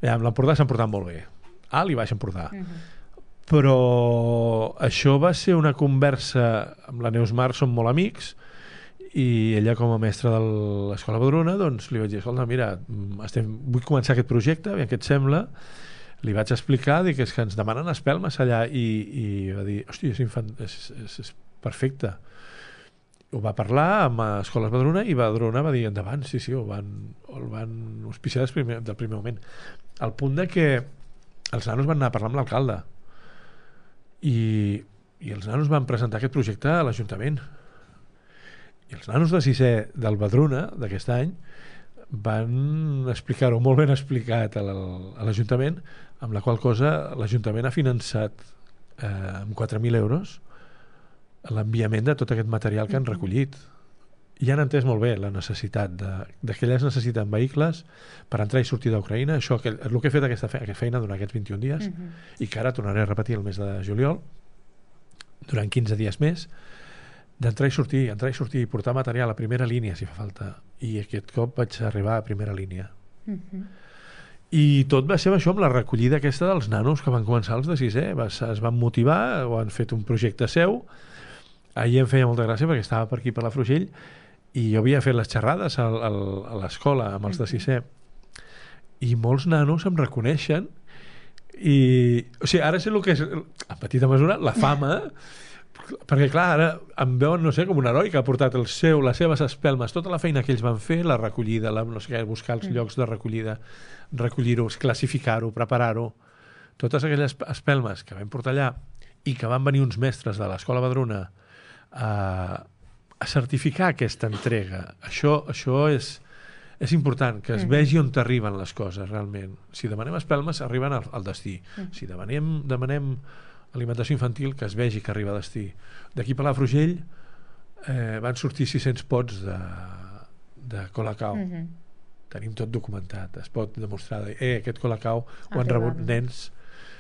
Amb l'Empordà s'han portat molt bé. Alt i Baix Empordà. Però això va ser una conversa amb la Neus Mar, som molt amics, i ella com a mestra de l'Escola Badruna doncs li vaig dir, escolta, mira, vull començar aquest projecte, aviam què et sembla. Li vaig explicar, dic, és que ens demanen espelmes allà, i va dir, hòstia, és perfecte. Ho va parlar amb Escoles Badruna i Badruna va dir endavant, sí, el van auspiciar del primer moment, al punt de que els nanos van anar a parlar amb l'alcalde i els nanos van presentar aquest projecte a l'Ajuntament, i els nanos de sisè del Badruna d'aquest any van explicar-ho molt ben explicat a l'Ajuntament, amb la qual cosa l'Ajuntament ha finançat amb 4.000 euros l'enviament de tot aquest material que han recollit, i han entès molt bé la necessitat de que elles necessiten vehicles per entrar i sortir d'Ucraïna. Això, el que he fet aquesta feina durant aquests 21 dies i que ara tornaré a repetir el mes de juliol durant 15 dies més, d'entrar i sortir, portar material a primera línia si fa falta, i aquest cop vaig arribar a primera línia. I tot va ser això, amb la recollida aquesta dels nanos que van començar els de sisè, es van motivar, o han fet un projecte seu. Ahir em feia molta gràcia perquè estava per aquí per la Frugell i jo havia fet les xerrades a l'escola amb els de sisè i molts nanos em reconeixen, i o sigui, ara sé el que és en petita mesura la fama, perquè clar, ara em veuen, no sé, com un heroi que ha portat les seves espelmes, tota la feina que ells van fer, la recollida, no sé què, buscar els llocs de recollida, recollir-ho, classificar-ho, preparar-ho, totes aquelles espelmes que vam portar allà i que van venir uns mestres de l'Escola Badruna a certificar aquesta entrega. Això és important, que es vegi on t'arriben les coses realment. Si demanem espelmes, arriben al destí. Si demanem alimentació infantil, que es vegi que arriba a destí. D'aquí per la Frugell van sortir 600 pots de Colacao. Tenim tot documentat, es pot demostrar aquest Colacao ho han rebut nens